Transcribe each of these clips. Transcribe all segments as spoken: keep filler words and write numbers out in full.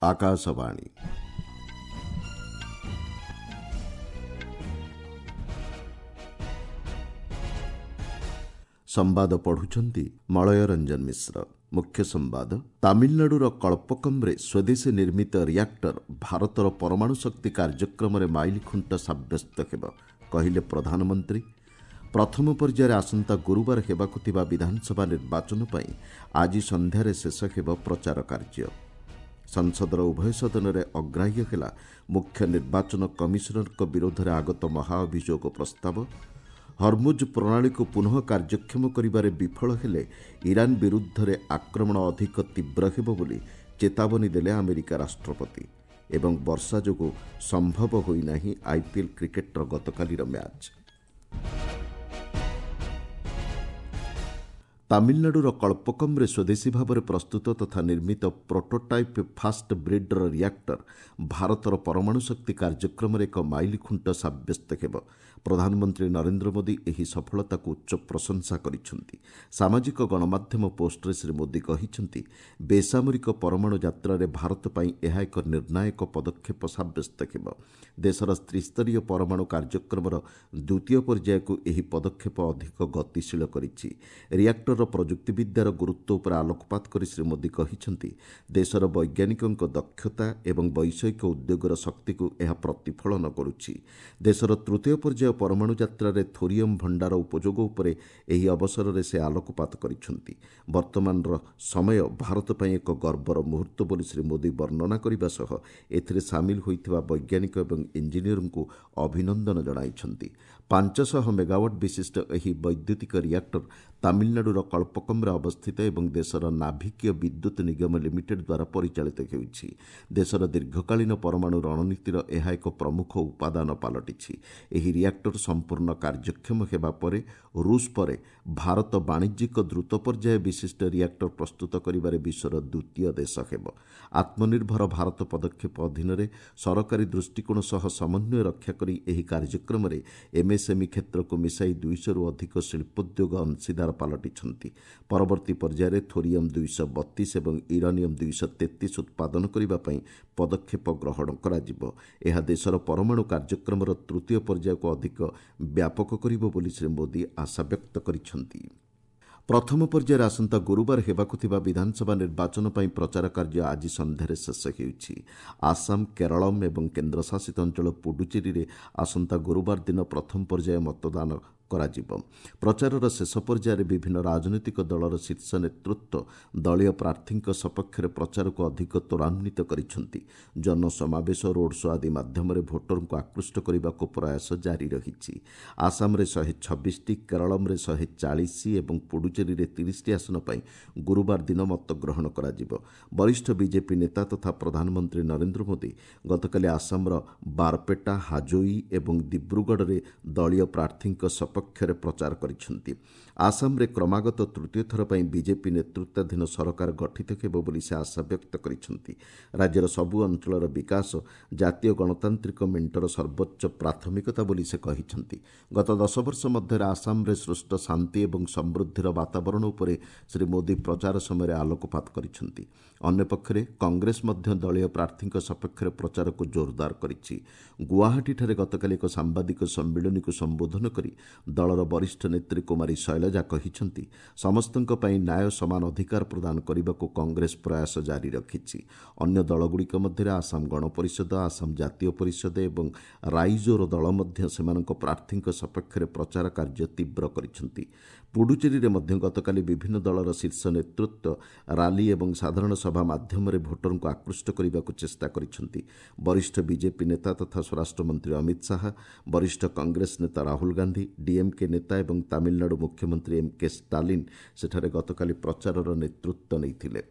ଆକାଶବାଣୀ। ସମ୍ବାଦ ପଢ଼ୁଛନ୍ତି ମଳୟ ରଞ୍ଜନ ମିଶ୍ର। ମୁଖ୍ୟ ସମ୍ବାଦ। ତାମିଲନାଡୁର କଳ୍ପକମ୍ରେ ସ୍ୱଦେଶୀ ନିର୍ମିତ ରିଆକ୍ଟର ଭାରତର ପରମାଣୁ ଶକ୍ତି କାର୍ଯ୍ୟକ୍ରମରେ ମାଇଲଖୁଣ୍ଟ ସାବ୍ୟସ୍ତ ହେବ, କହିଲେ ପ୍ରଧାନମନ୍ତ୍ରୀ। ପ୍ରଥମ ପର୍ଯ୍ୟାୟରେ ଆସନ୍ତା ଗୁରୁବାର ହେବାକୁ ଥିବା ବିଧାନସଭା ନିର୍ବାଚନ ପାଇଁ ଆଜି ସନ୍ଧ୍ୟାରେ ଶେଷ ହେବ ପ୍ରଚାର କାର୍ଯ୍ୟ। ସଂସଦର ଉଭୟ ସଦନରେ ଅଗ୍ରାହ୍ୟ ହେଲା ମୁଖ୍ୟ ନିର୍ବାଚନ କମିଶନରଙ୍କ ବିରୋଧରେ ଆଗତ ମହାଅଭିଯୋଗ ପ୍ରସ୍ତାବ। ହରମୁଜ ପ୍ରଣାଳୀକୁ ପୁନଃ କାର୍ଯ୍ୟକ୍ଷମ କରିବାରେ ବିଫଳ ହେଲେ ଇରାନ ବିରୁଦ୍ଧରେ ଆକ୍ରମଣ ଅଧିକ ତୀବ୍ର ହେବ ବୋଲି ଚେତାବନୀ ଦେଲେ ଆମେରିକା ରାଷ୍ଟ୍ରପତି। ଏବଂ ବର୍ଷା ଯୋଗୁଁ ସମ୍ଭବ ହୋଇନାହିଁ ଆଇପିଏଲ୍ କ୍ରିକେଟର ଗତକାଲିର ମ୍ୟାଚ୍। ତାମିଲନାଡୁର କଳ୍ପକମ୍ରେ ସ୍ୱଦେଶୀ ଭାବରେ ପ୍ରସ୍ତୁତ ତଥା ନିର୍ମିତ ପ୍ରୋଟୋଟାଇପ୍ ଫାଷ୍ଟ ବ୍ରିଡ୍ର ରିଆକ୍ଟର ଭାରତର ପରମାଣୁ ଶକ୍ତି କାର୍ଯ୍ୟକ୍ରମରେ ଏକ ମାଇଲଖୁଣ୍ଟ ସାବ୍ୟସ୍ତ ହେବ। ପ୍ରଧାନମନ୍ତ୍ରୀ ନରେନ୍ଦ୍ର ମୋଦି ଏହି ସଫଳତାକୁ ଉଚ୍ଚ ପ୍ରଶଂସା କରିଛନ୍ତି। ସାମାଜିକ ଗଣମାଧ୍ୟମ ପୋଷ୍ଟରେ ଶ୍ରୀ ମୋଦି କହିଛନ୍ତି, ବେସାମରିକ ପରମାଣୁ ଯାତ୍ରାରେ ଭାରତ ପାଇଁ ଏହା ଏକ ନିର୍ଣ୍ଣାୟକ ପଦକ୍ଷେପ ସାବ୍ୟସ୍ତ ହେବ। ଦେଶର ତ୍ରିସ୍ତରୀୟ ପରମାଣୁ କାର୍ଯ୍ୟକ୍ରମର ଦ୍ୱିତୀୟ ପର୍ଯ୍ୟାୟକୁ ଏହି ପଦକ୍ଷେପ ଅଧିକ ଗତିଶୀଳ କରିଛି। ରିଆକ୍ଟରର ପ୍ରଯୁକ୍ତିବିଦ୍ୟାର ଗୁରୁତ୍ୱ ଉପରେ ଆଲୋକପାତ କରି ଶ୍ରୀ ମୋଦି କହିଛନ୍ତି, ଦେଶର ବୈଜ୍ଞାନିକଙ୍କ ଦକ୍ଷତା ଏବଂ ବୈଷୟିକ ଉଦ୍ୟୋଗର ଶକ୍ତିକୁ ଏହା ପ୍ରତିଫଳନ କରୁଛି। ଦେଶର ତୃତୀୟ ପର୍ଯ୍ୟାୟ ପରମାଣୁ ଯାତ୍ରାରେ ଥୋରିୟମ୍ ଭଣ୍ଡାର ଉପଯୋଗ ଉପରେ ଏହି ଅବସରରେ ସେ ଆଲୋକପାତ କରିଛନ୍ତି। ବର୍ତ୍ତମାନର ସମୟ ଭାରତ ପାଇଁ ଏକ ଗର୍ବର ମୁହୂର୍ତ୍ତ ବୋଲି ଶ୍ରୀ ମୋଦି ବର୍ଣ୍ଣନା କରିବା ସହ ଏଥିରେ ସାମିଲ ହୋଇଥିବା ବୈଜ୍ଞାନିକ ଏବଂ ଇଞ୍ଜିନିୟରଙ୍କୁ ଅଭିନନ୍ଦନ ଜଣାଇଛନ୍ତି। ପାଞ୍ଚଶହ ମେଗାୱାଟ୍ ବିଶିଷ୍ଟ ଏହି ବୈଦ୍ୟୁତିକ ରିଆକ୍ଟର ତାମିଲନାଡୁର କଳ୍ପକମ୍ରେ ଅବସ୍ଥିତ ଏବଂ ଦେଶର ନାଭିକୀୟ ବିଦ୍ୟୁତ ନିଗମ ଲିମିଟେଡ୍ ଦ୍ୱାରା ପରିଚାଳିତ ହେଉଛି। ଦେଶର ଦୀର୍ଘକାଳୀନ ପରମାଣୁ ରଣନୀତିର ଏହା ଏକ ପ୍ରମୁଖ ଉପାଦାନ ପାଲଟିଛି। ଏହି ରିଆକ୍ଟର ସମ୍ପୂର୍ଣ୍ଣ କାର୍ଯ୍ୟକ୍ଷମ ହେବା ପରେ ରୁଷ ପରେ ଭାରତ ବାଣିଜ୍ୟିକ ଦ୍ରୁତ ପର୍ଯ୍ୟାୟ ବିଶିଷ୍ଟ ରିଆକ୍ଟର ପ୍ରସ୍ତୁତ କରିବାରେ ବିଶ୍ୱର ଦ୍ୱିତୀୟ ଦେଶ ହେବ। ଆତ୍ମନିର୍ଭର ଭାରତ ପଦକ୍ଷେପ ଅଧୀନରେ ସରକାରୀ ଦୃଷ୍ଟିକୋଣ ସହ ସମନ୍ୱୟ ରକ୍ଷା କରି ଏହି କାର୍ଯ୍ୟକ୍ରମରେ ଏମ୍ଏସ୍ଏମ୍ଇ କ୍ଷେତ୍ରକୁ ମିଶାଇ ଦୁଇଶହରୁ ଅଧିକ ଶିଳ୍ପୋଦ୍ୟୋଗ ଅଂଶୀଦାର ପାଲଟିଛନ୍ତି। ପରବର୍ତ୍ତୀ ପର୍ଯ୍ୟାୟରେ ଥୋରିୟମ୍ ଦୁଇଶହ ବତିଶ ଏବଂ ୟୁରାନିୟମ୍ ଦୁଇଶହ ତେତିଶ ଉତ୍ପାଦନ କରିବା ପାଇଁ ପଦକ୍ଷେପ ଗ୍ରହଣ କରାଯିବ। ଏହା ଦେଶର ପରମାଣୁ କାର୍ଯ୍ୟକ୍ରମର ତୃତୀୟ ପର୍ଯ୍ୟାୟକୁ ଅଧିକ ବ୍ୟାପକ କରିବ ବୋଲି ଶ୍ରୀ ମୋଦି ଆଶାବ୍ୟକ୍ତ କରିଛନ୍ତି। ପ୍ରଥମ ପର୍ଯ୍ୟାୟରେ ଆସନ୍ତା ଗୁରୁବାର ହେବାକୁ ଥିବା ବିଧାନସଭା ନିର୍ବାଚନ ପାଇଁ ପ୍ରଚାର କାର୍ଯ୍ୟ ଆଜି ସନ୍ଧ୍ୟାରେ ଶେଷ ହେଉଛି। ଆସାମ, କେରଳମ୍ ଏବଂ କେନ୍ଦ୍ରଶାସିତ ଅଞ୍ଚଳ ପୁଡୁଚେରୀରେ ଆସନ୍ତା ଗୁରୁବାର ଦିନ ପ୍ରଥମ ପର୍ଯ୍ୟାୟ ମତଦାନ କରାଯିବ। ପ୍ରଚାରର ଶେଷ ପର୍ଯ୍ୟାୟରେ ବିଭିନ୍ନ ରାଜନୈତିକ ଦଳର ଶୀର୍ଷ ନେତୃତ୍ୱ ଦଳୀୟ ପ୍ରାର୍ଥୀଙ୍କ ସପକ୍ଷରେ ପ୍ରଚାରକୁ ଅଧିକ ତ୍ୱରାନ୍ୱିତ କରିଛନ୍ତି। ଜନସମାବେଶ, ରୋଡ୍ ଶୋ ଆଦି ମାଧ୍ୟମରେ ଭୋଟରଙ୍କୁ ଆକୃଷ୍ଟ କରିବାକୁ ପ୍ରୟାସ ଜାରି ରହିଛି। ଆସାମରେ ଶହେ ଛବିଶଟି, କେରଳମରେ ଶହେ ଚାଳିଶ ଏବଂ ପୁଡୁଚେରୀରେ ତିରିଶଟି ଆସନ ପାଇଁ ଗୁରୁବାର ଦିନ ମତଗ୍ରହଣ କରାଯିବ। ବରିଷ୍ଠ ବିଜେପି ନେତା ତଥା ପ୍ରଧାନମନ୍ତ୍ରୀ ନରେନ୍ଦ୍ର ମୋଦି ଗତକାଲି ଆସାମର ବାରପେଟା, ହାଜୋଇ ଏବଂ ଦିବ୍ରୁଗଡ଼ରେ ଦଳୀୟ ପ୍ରାର୍ଥୀଙ୍କ ସପକ୍ଷରେ ପକ୍ଷରେ ପ୍ରଚାର କରିଛନ୍ତି। ଆସାମରେ କ୍ରମାଗତ ତୃତୀୟ ଥର ପାଇଁ ବିଜେପି ନେତୃତ୍ୱାଧୀନ ସରକାର ଗଠିତ ହେବ ବୋଲି ସେ ଆଶାବ୍ୟକ୍ତ କରିଛନ୍ତି। ରାଜ୍ୟର ସବୁ ଅଞ୍ଚଳର ବିକାଶ ଜାତୀୟ ଗଣତାନ୍ତ୍ରିକ ମେଣ୍ଟର ସର୍ବୋଚ୍ଚ ପ୍ରାଥମିକତା ବୋଲି ସେ କହିଛନ୍ତି। ଗତ ଦଶ ବର୍ଷ ମଧ୍ୟରେ ଆସାମରେ ସୃଷ୍ଟ ଶାନ୍ତି ଏବଂ ସମୃଦ୍ଧିର ବାତାବରଣ ଉପରେ ଶ୍ରୀ ମୋଦି ପ୍ରଚାର ସମୟରେ ଆଲୋକପାତ କରିଛନ୍ତି। ଅନ୍ୟପକ୍ଷରେ କଂଗ୍ରେସ ମଧ୍ୟ ଦଳୀୟ ପ୍ରାର୍ଥୀଙ୍କ ସପକ୍ଷରେ ପ୍ରଚାରକୁ ଜୋରଦାର କରିଛି। ଗୁଆହାଟୀଠାରେ ଗତକାଲି ଏକ ସାମ୍ବାଦିକ ସମ୍ମିଳନୀକୁ ସମ୍ବୋଧନ କରି ଦଳର ବରିଷ୍ଠ ନେତ୍ରୀ କୁମାରୀ ଶୈଳଜା କହିଛନ୍ତି, ସମସ୍ତଙ୍କ ପାଇଁ ନ୍ୟାୟ ସମାନ ଅଧିକାର ପ୍ରଦାନ କରିବାକୁ କଂଗ୍ରେସ ପ୍ରୟାସ ଜାରି ରଖିଛି। ଅନ୍ୟ ଦଳଗୁଡ଼ିକ ମଧ୍ୟରେ ଆସାମ ଗଣପରିଷଦ, ଆସାମ ଜାତୀୟ ପରିଷଦ ଏବଂ ରାଇଜୋର ଦଳ ମଧ୍ୟ ସେମାନଙ୍କ ପ୍ରାର୍ଥୀଙ୍କ ସପକ୍ଷରେ ପ୍ରଚାର କାର୍ଯ୍ୟ ତୀବ୍ର କରିଛନ୍ତି। ପୁଡୁଚେରୀରେ ମଧ୍ୟ ଗତକାଲି ବିଭିନ୍ନ ଦଳର ଶୀର୍ଷ ନେତୃତ୍ୱ ରାଲି ଏବଂ ସାଧାରଣ ସଭା ମାଧ୍ୟମରେ ଭୋଟରଙ୍କୁ ଆକୃଷ୍ଟ କରିବାକୁ ଚେଷ୍ଟା କରିଛନ୍ତି। ବରିଷ୍ଠ ବିଜେପି ନେତା ତଥା ସ୍ୱରାଷ୍ଟ୍ରମନ୍ତ୍ରୀ ଅମିତ ଶାହା, ବରିଷ୍ଠ କଂଗ୍ରେସ ନେତା ରାହୁଲ ଗାନ୍ଧୀ, ଡିଏମ୍କେ ନେତା ଏବଂ ତାମିଲନାଡୁ ମୁଖ୍ୟମନ୍ତ୍ରୀ ଏମ୍ କେ ଷ୍ଟାଲିନ୍ ସେଠାରେ ଗତକାଲି ପ୍ରଚାରର ନେତୃତ୍ୱ ନେଇଥିଲେ।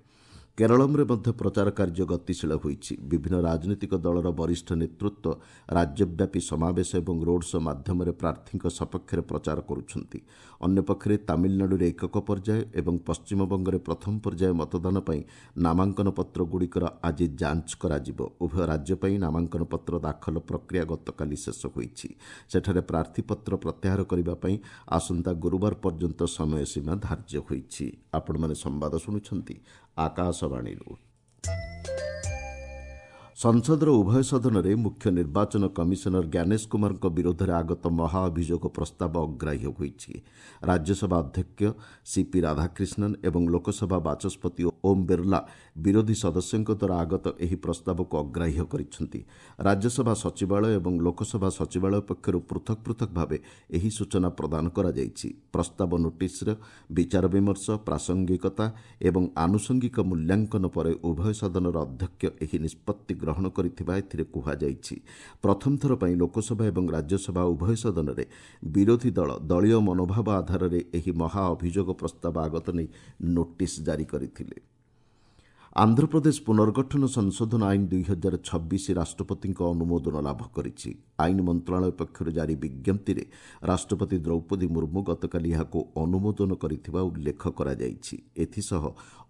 କେରଳମରେ ମଧ୍ୟ ପ୍ରଚାର କାର୍ଯ୍ୟ ଗତିଶୀଳ ହୋଇଛି। ବିଭିନ୍ନ ରାଜନୈତିକ ଦଳର ବରିଷ୍ଠ ନେତୃତ୍ୱ ରାଜ୍ୟବ୍ୟାପୀ ସମାବେଶ ଏବଂ ରୋଡ୍ ଶୋ ମାଧ୍ୟମରେ ପ୍ରାର୍ଥୀଙ୍କ ସପକ୍ଷରେ ପ୍ରଚାର କରୁଛନ୍ତି। ଅନ୍ୟପକ୍ଷରେ ତାମିଲନାଡୁରେ ଏକକ ପର୍ଯ୍ୟାୟ ଏବଂ ପଶ୍ଚିମବଙ୍ଗରେ ପ୍ରଥମ ପର୍ଯ୍ୟାୟ ମତଦାନ ପାଇଁ ନାମାଙ୍କନ ପତ୍ରଗୁଡ଼ିକର ଆଜି ଯାଞ୍ଚ କରାଯିବ। ଉଭୟ ରାଜ୍ୟ ପାଇଁ ନାମାଙ୍କନ ପତ୍ର ଦାଖଲ ପ୍ରକ୍ରିୟା ଗତକାଲି ଶେଷ ହୋଇଛି। ସେଠାରେ ପ୍ରାର୍ଥୀପତ୍ର ପ୍ରତ୍ୟାହାର କରିବା ପାଇଁ ଆସନ୍ତା ଗୁରୁବାର ପର୍ଯ୍ୟନ୍ତ ସମୟସୀମା ଧାର୍ଯ୍ୟ ହୋଇଛି। ଆପଣମାନେ ସମ୍ବାଦ ଶୁଣୁଛନ୍ତି ଆକାଶବାଣୀରୁ। ସଂସଦର ଉଭୟ ସଦନରେ ମୁଖ୍ୟ ନିର୍ବାଚନ କମିଶନର ଜ୍ଞାନେଶ କୁମାରଙ୍କ ବିରୋଧରେ ଆଗତ ମହାଅଭିଯୋଗ ପ୍ରସ୍ତାବ ଅଗ୍ରାହ୍ୟ ହୋଇଛି। ରାଜ୍ୟସଭା ଅଧ୍ୟକ୍ଷ ସିପି ରାଧାକ୍ରିଷ୍ଣନ୍ ଏବଂ ଲୋକସଭା ବାଚସ୍ପତି ଓମ୍ ବିର୍ଲା ବିରୋଧୀ ସଦସ୍ୟଙ୍କ ଦ୍ୱାରା ଆଗତ ଏହି ପ୍ରସ୍ତାବକୁ ଅଗ୍ରାହ୍ୟ କରିଛନ୍ତି। ରାଜ୍ୟସଭା ସଚିବାଳୟ ଏବଂ ଲୋକସଭା ସଚିବାଳୟ ପକ୍ଷରୁ ପୃଥକ୍ ପୃଥକ୍ ଭାବେ ଏହି ସୂଚନା ପ୍ରଦାନ କରାଯାଇଛି। ପ୍ରସ୍ତାବ ନୋଟିସ୍ର ବିଚାର ବିମର୍ଶ, ପ୍ରାସଙ୍ଗିକତା ଏବଂ ଆନୁଷଙ୍ଗିକ ମୂଲ୍ୟାଙ୍କନ ପରେ ଉଭୟ ସଦନର ଅଧ୍ୟକ୍ଷ ଏହି ନିଷ୍ପତ୍ତି ଗ୍ରହଣ କରିଥିବା ଏଥିରେ କୁହାଯାଇଛି। ପ୍ରଥମ ଥର ପାଇଁ ଲୋକସଭା ଏବଂ ରାଜ୍ୟସଭା ଉଭୟ ସଦନରେ ବିରୋଧୀ ଦଳ ଦଳୀୟ ମନୋଭାବ ଆଧାରରେ ଏହି ମହାଅଭିଯୋଗ ପ୍ରସ୍ତାବ ଆଗତ ନେଇ ନୋଟିସ୍ ଜାରି କରିଥିଲେ। ଆନ୍ଧ୍ରପ୍ରଦେଶ ପୁନର୍ଗଠନ ସଂଶୋଧନ ଆଇନ ଦୁଇ ହଜାର ଛବିଶ ରାଷ୍ଟ୍ରପତିଙ୍କ ଅନୁମୋଦନ ଲାଭ କରିଛି। ଆଇନ ମନ୍ତ୍ରଣାଳୟ ପକ୍ଷରୁ ଜାରି ବିଜ୍ଞପ୍ତିରେ ରାଷ୍ଟ୍ରପତି ଦ୍ରୌପଦୀ ମୁର୍ମୁ ଗତକାଲି ଏହାକୁ ଅନୁମୋଦନ କରିଥିବା ଉଲ୍ଲେଖ କରାଯାଇଛି। ଏଥିସହ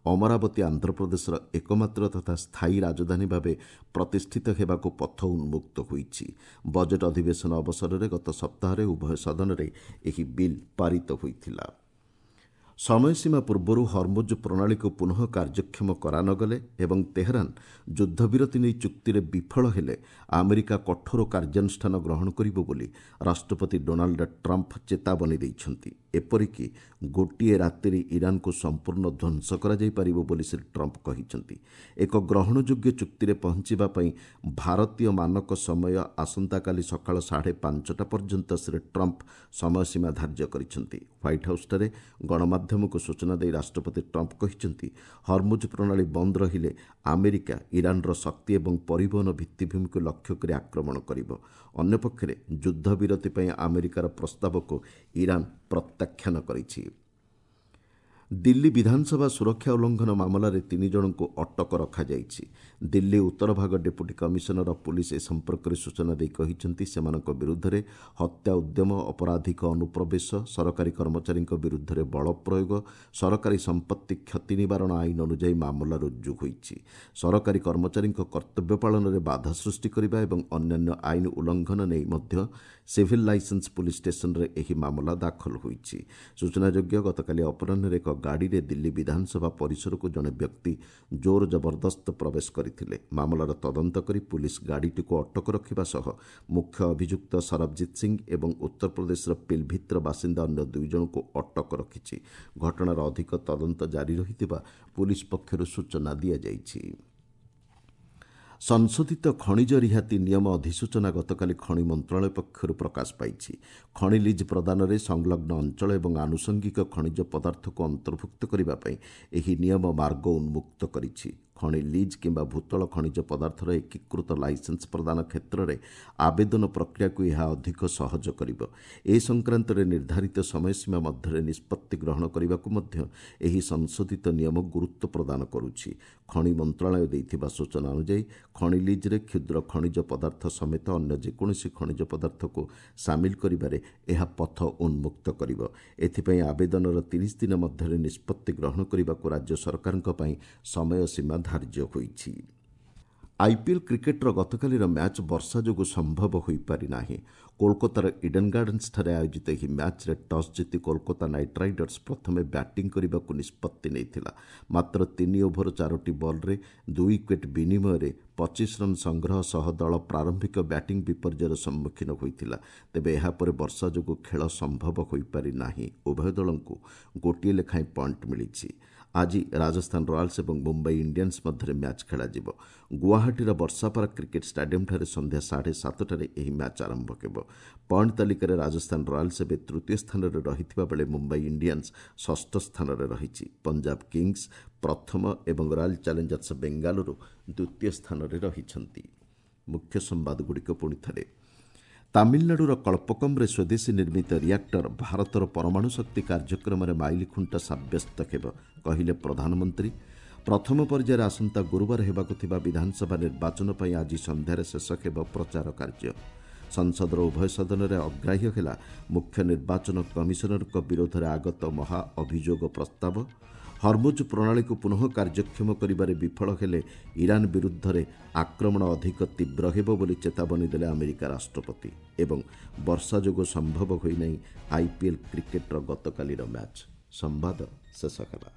ଅମରାବତୀ ଆନ୍ଧ୍ରପ୍ରଦେଶର ଏକମାତ୍ର ତଥା ସ୍ଥାୟୀ ରାଜଧାନୀ ଭାବେ ପ୍ରତିଷ୍ଠିତ ହେବାକୁ ପଥ ଉନ୍ମୁକ୍ତ ହୋଇଛି। ବଜେଟ୍ ଅଧିବେଶନ ଅବସରରେ ଗତ ସପ୍ତାହରେ ଉଭୟ ସଦନରେ ଏହି ବିଲ୍ ପାରିତ ହୋଇଥିଲା। ସମୟସୀମା ପୂର୍ବରୁ ହର୍ମୁଜ୍ ପ୍ରଣାଳୀକୁ ପୁନଃ କାର୍ଯ୍ୟକ୍ଷମ କରାନଗଲେ ଏବଂ ତେହରାନ ଯୁଦ୍ଧବିରତି ନେଇ ଚୁକ୍ତିରେ ବିଫଳ ହେଲେ ଆମେରିକା କଠୋର କାର୍ଯ୍ୟାନୁଷ୍ଠାନ ଗ୍ରହଣ କରିବ ବୋଲି ରାଷ୍ଟ୍ରପତି ଡୋନାଲ୍ଡ ଟ୍ରମ୍ପ ଚେତାବନୀ ଦେଇଛନ୍ତି। ଏପରିକି ଗୋଟିଏ ରାତିରେ ଇରାନକୁ ସମ୍ପୂର୍ଣ୍ଣ ଧ୍ୱଂସ କରାଯାଇପାରିବ ବୋଲି ଶ୍ରୀ ଟ୍ରମ୍ପ କହିଛନ୍ତି। ଏକ ଗ୍ରହଣଯୋଗ୍ୟ ଚୁକ୍ତିରେ ପହଞ୍ଚିବା ପାଇଁ ଭାରତୀୟ ମାନକ ସମୟ ଆସନ୍ତାକାଲି ସକାଳ ସାଢ଼େ ପାଞ୍ଚଟା ପର୍ଯ୍ୟନ୍ତ ଶ୍ରୀ ଟ୍ରମ୍ପ ସମୟସୀମା ଧାର୍ଯ୍ୟ କରିଛନ୍ତି। ହ୍ୱାଇଟ୍ ହାଉସ୍ଠାରେ ଗଣମାଧ୍ୟମକୁ ସୂଚନା ଦେଇ ରାଷ୍ଟ୍ରପତି ଟ୍ରମ୍ପ କହିଛନ୍ତି, ହର୍ମୁଜ୍ ପ୍ରଣାଳୀ ବନ୍ଦ ରହିଲେ ଆମେରିକା ଇରାନର ଶକ୍ତି ଏବଂ ପରିବହନ ଭିତ୍ତିଭୂମିକୁ ଲକ୍ଷ୍ୟ କରି ଆକ୍ରମଣ କରିବ। ଅନ୍ୟପକ୍ଷରେ ଯୁଦ୍ଧବିରତି ପାଇଁ ଆମେରିକାର ପ୍ରସ୍ତାବକୁ ଇରାନ ପ୍ରତ୍ୟାଖ୍ୟାନ କରିଛି। ଦିଲ୍ଲୀ ବିଧାନସଭା ସୁରକ୍ଷା ଉଲ୍ଲଂଘନ ମାମଲାରେ ତିନି ଜଣଙ୍କୁ ଅଟକ ରଖାଯାଇଛି। ଦିଲ୍ଲୀ ଉତ୍ତର ଭାଗ ଡେପୁଟି କମିଶନର ଅଫ୍ ପୁଲିସ୍ ଏ ସମ୍ପର୍କରେ ସୂଚନା ଦେଇ କହିଛନ୍ତି, ସେମାନଙ୍କ ବିରୁଦ୍ଧରେ ହତ୍ୟା ଉଦ୍ୟମ, ଅପରାଧିକ ଅନୁପ୍ରବେଶ, ସରକାରୀ କର୍ମଚାରୀଙ୍କ ବିରୁଦ୍ଧରେ ବଳ ପ୍ରୟୋଗ, ସରକାରୀ ସମ୍ପତ୍ତି କ୍ଷତି ନିବାରଣ ଆଇନ ଅନୁଯାୟୀ ମାମଲା ରୁଜୁ ହୋଇଛି। ସରକାରୀ କର୍ମଚାରୀଙ୍କ କର୍ତ୍ତବ୍ୟ ପାଳନରେ ବାଧା ସୃଷ୍ଟି କରିବା ଏବଂ ଅନ୍ୟାନ୍ୟ ଆଇନ ଉଲ୍ଲଂଘନ ନେଇ ମଧ୍ୟ ସିଭିଲ୍ ଲାଇସେନ୍ସ ପୁଲିସ୍ ଷ୍ଟେସନରେ ଏହି ମାମଲା ଦାଖଲ ହୋଇଛି। ସୂଚନାଯୋଗ୍ୟ, ଗତକାଲି ଅପରାହ୍ନରେ ଏକ ଗାଡ଼ିରେ ଦିଲ୍ଲୀ ବିଧାନସଭା ପରିସରକୁ ଜଣେ ବ୍ୟକ୍ତି ଜୋର ଜବରଦସ୍ତ ପ୍ରବେଶ କରିଥିଲେ। ମାମଲାର ତଦନ୍ତ କରି ପୁଲିସ୍ ଗାଡ଼ିଟିକୁ ଅଟକ ରଖିବା ସହ ମୁଖ୍ୟ ଅଭିଯୁକ୍ତ ସରବଜିତ ସିଂ ଏବଂ ଉତ୍ତରପ୍ରଦେଶର ପିଲଭିତ୍ର ବାସିନ୍ଦା ଅନ୍ୟ ଦୁଇ ଜଣଙ୍କୁ ଅଟକ ରଖିଛି। ଘଟଣାର ଅଧିକ ତଦନ୍ତ ଜାରି ରହିଥିବା ପୁଲିସ୍ ପକ୍ଷରୁ ସୂଚନା ଦିଆଯାଇଛି। ସଂଶୋଧିତ ଖଣିଜ ରିହାତି ନିୟମ ଅଧିସୂଚନା ଗତକାଲି ଖଣି ମନ୍ତ୍ରଣାଳୟ ପକ୍ଷରୁ ପ୍ରକାଶ ପାଇଛି। ଖଣି ଲିଜ୍ ପ୍ରଦାନରେ ସଂଲଗ୍ନ ଅଞ୍ଚଳ ଏବଂ ଆନୁଷଙ୍ଗିକ ଖଣିଜ ପଦାର୍ଥକୁ ଅନ୍ତର୍ଭୁକ୍ତ କରିବା ପାଇଁ ଏହି ନିୟମ ମାର୍ଗ ଉନ୍ମୁକ୍ତ କରିଛି। ଖଣି ଲିଜ୍ କିମ୍ବା ଭୂତଳ ଖଣିଜ ପଦାର୍ଥର ଏକୀକୃତ ଲାଇସେନ୍ସ ପ୍ରଦାନ କ୍ଷେତ୍ରରେ ଆବେଦନ ପ୍ରକ୍ରିୟାକୁ ଏହା ଅଧିକ ସହଜ କରିବ। ଏ ସଂକ୍ରାନ୍ତରେ ନିର୍ଦ୍ଧାରିତ ସମୟସୀମା ମଧ୍ୟରେ ନିଷ୍ପତ୍ତି ଗ୍ରହଣ କରିବାକୁ ମଧ୍ୟ ଏହି ସଂଶୋଧିତ ନିୟମ ଗୁରୁତ୍ୱ ପ୍ରଦାନ କରୁଛି। ଖଣି ମନ୍ତ୍ରଣାଳୟ ଦେଇଥିବା ସୂଚନା ଅନୁଯାୟୀ ଖଣି ଲିଜ୍ରେ କ୍ଷୁଦ୍ର ଖଣିଜ ପଦାର୍ଥ ସମେତ ଅନ୍ୟ ଯେକୌଣସି ଖଣିଜ ପଦାର୍ଥକୁ ସାମିଲ କରିବାରେ ଏହା ପଥ ଉନ୍ମୁକ୍ତ କରିବ। ଏଥିପାଇଁ ଆବେଦନର ତିରିଶ ଦିନ ମଧ୍ୟରେ ନିଷ୍ପତ୍ତି ଗ୍ରହଣ କରିବାକୁ ରାଜ୍ୟ ସରକାରଙ୍କ ପାଇଁ ସମୟସୀମା ଧାର୍ଯ୍ୟ ହୋଇଛି। ଆଇପିଏଲ୍ କ୍ରିକେଟ୍ର ଗତକାଲିର ମ୍ୟାଚ୍ ବର୍ଷା ଯୋଗୁଁ ସମ୍ଭବ ହୋଇପାରିନାହିଁ। କୋଲକାତାର ଇଡେନ୍ ଗାର୍ଡେନ୍ସଠାରେ ଆୟୋଜିତ ଏହି ମ୍ୟାଚ୍ରେ ଟସ୍ ଜିତି କୋଲକାତା ନାଇଟ୍ ରାଇଡର୍ସ ପ୍ରଥମେ ବ୍ୟାଟିଂ କରିବାକୁ ନିଷ୍ପତ୍ତି ନେଇଥିଲା। ମାତ୍ର ତିନି ଓଭର ଚାରୋଟି ବଲ୍ରେ ଦୁଇ ୱିକେଟ୍ ବିନିମୟରେ ପଚିଶ ରନ୍ ସଂଗ୍ରହ ସହ ଦଳ ପ୍ରାରମ୍ଭିକ ବ୍ୟାଟିଂ ବିପର୍ଯ୍ୟୟର ସମ୍ମୁଖୀନ ହୋଇଥିଲା। ତେବେ ଏହାପରେ ବର୍ଷା ଯୋଗୁଁ ଖେଳ ସମ୍ଭବ ହୋଇପାରିନାହିଁ। ଉଭୟ ଦଳଙ୍କୁ ଗୋଟିଏ ଲେଖାଏଁ ପଏଣ୍ଟ ମିଳିଛି। ଆଜି ରାଜସ୍ଥାନ ରୟାଲ୍ସ ଏବଂ ମୁମ୍ବାଇ ଇଣ୍ଡିଆନ୍ସ ମଧ୍ୟରେ ମ୍ୟାଚ୍ ଖେଳାଯିବ। ଗୁଆହାଟୀର ବର୍ଷାପାରା କ୍ରିକେଟ୍ ଷ୍ଟାଡିୟମ୍ଠାରେ ସନ୍ଧ୍ୟା ସାଢ଼େ ସାତଟାରେ ଏହି ମ୍ୟାଚ୍ ଆରମ୍ଭ ହେବ। ପଏଣ୍ଟ ତାଲିକାରେ ରାଜସ୍ଥାନ ରୟାଲ୍ସ ଏବେ ତୃତୀୟ ସ୍ଥାନରେ ରହିଥିବା ବେଳେ ମୁମ୍ବାଇ ଇଣ୍ଡିଆନ୍ସ ଷଷ୍ଠ ସ୍ଥାନରେ ରହିଛି। ପଞ୍ଜାବ କିଙ୍ଗସ୍ ପ୍ରଥମ ଏବଂ ରୟାଲ୍ ଚ୍ୟାଲେଞ୍ଜର୍ସ ବେଙ୍ଗାଲୁରୁ ଦ୍ୱିତୀୟ ସ୍ଥାନରେ ରହିଛନ୍ତି। ମୁଖ୍ୟ ସମ୍ବାଦଗୁଡ଼ିକ ପୁଣି ଥରେ। ତାମିଲନାଡୁର କଳ୍ପକମ୍ରେ ସ୍ୱଦେଶୀ ନିର୍ମିତ ରିଆକ୍ଟର ଭାରତର ପରମାଣୁ ଶକ୍ତି କାର୍ଯ୍ୟକ୍ରମରେ ମାଇଲଖୁଣ୍ଟ ସାବ୍ୟସ୍ତ ହେବ, କହିଲେ ପ୍ରଧାନମନ୍ତ୍ରୀ। ପ୍ରଥମ ପର୍ଯ୍ୟାୟରେ ଆସନ୍ତା ଗୁରୁବାର ହେବାକୁ ଥିବା ବିଧାନସଭା ନିର୍ବାଚନ ପାଇଁ ଆଜି ସନ୍ଧ୍ୟାରେ ଶେଷ ହେବ ପ୍ରଚାର କାର୍ଯ୍ୟ। ସଂସଦର ଉଭୟ ସଦନରେ ଅଗ୍ରାହ୍ୟ ହେଲା ମୁଖ୍ୟ ନିର୍ବାଚନ କମିଶନରଙ୍କ ବିରୋଧରେ ଆଗତ ମହା ଅଭିଯୋଗ ପ୍ରସ୍ତାବ। ହର୍ମୁଜ୍ ପ୍ରଣାଳୀକୁ ପୁନଃ କାର୍ଯ୍ୟକ୍ଷମ କରିବାରେ ବିଫଳ ହେଲେ ଇରାନ ବିରୁଦ୍ଧରେ ଆକ୍ରମଣ ଅଧିକ ତୀବ୍ର ହେବ ବୋଲି ଚେତାବନୀ ଦେଲେ ଆମେରିକା ରାଷ୍ଟ୍ରପତି। ଏବଂ ବର୍ଷା ଯୋଗୁଁ ସମ୍ଭବ ହୋଇନାହିଁ ଆଇପିଏଲ୍ କ୍ରିକେଟ୍ର ଗତକାଲିର ମ୍ୟାଚ୍। ସମ୍ବାଦ ଶେଷ ହେଲା।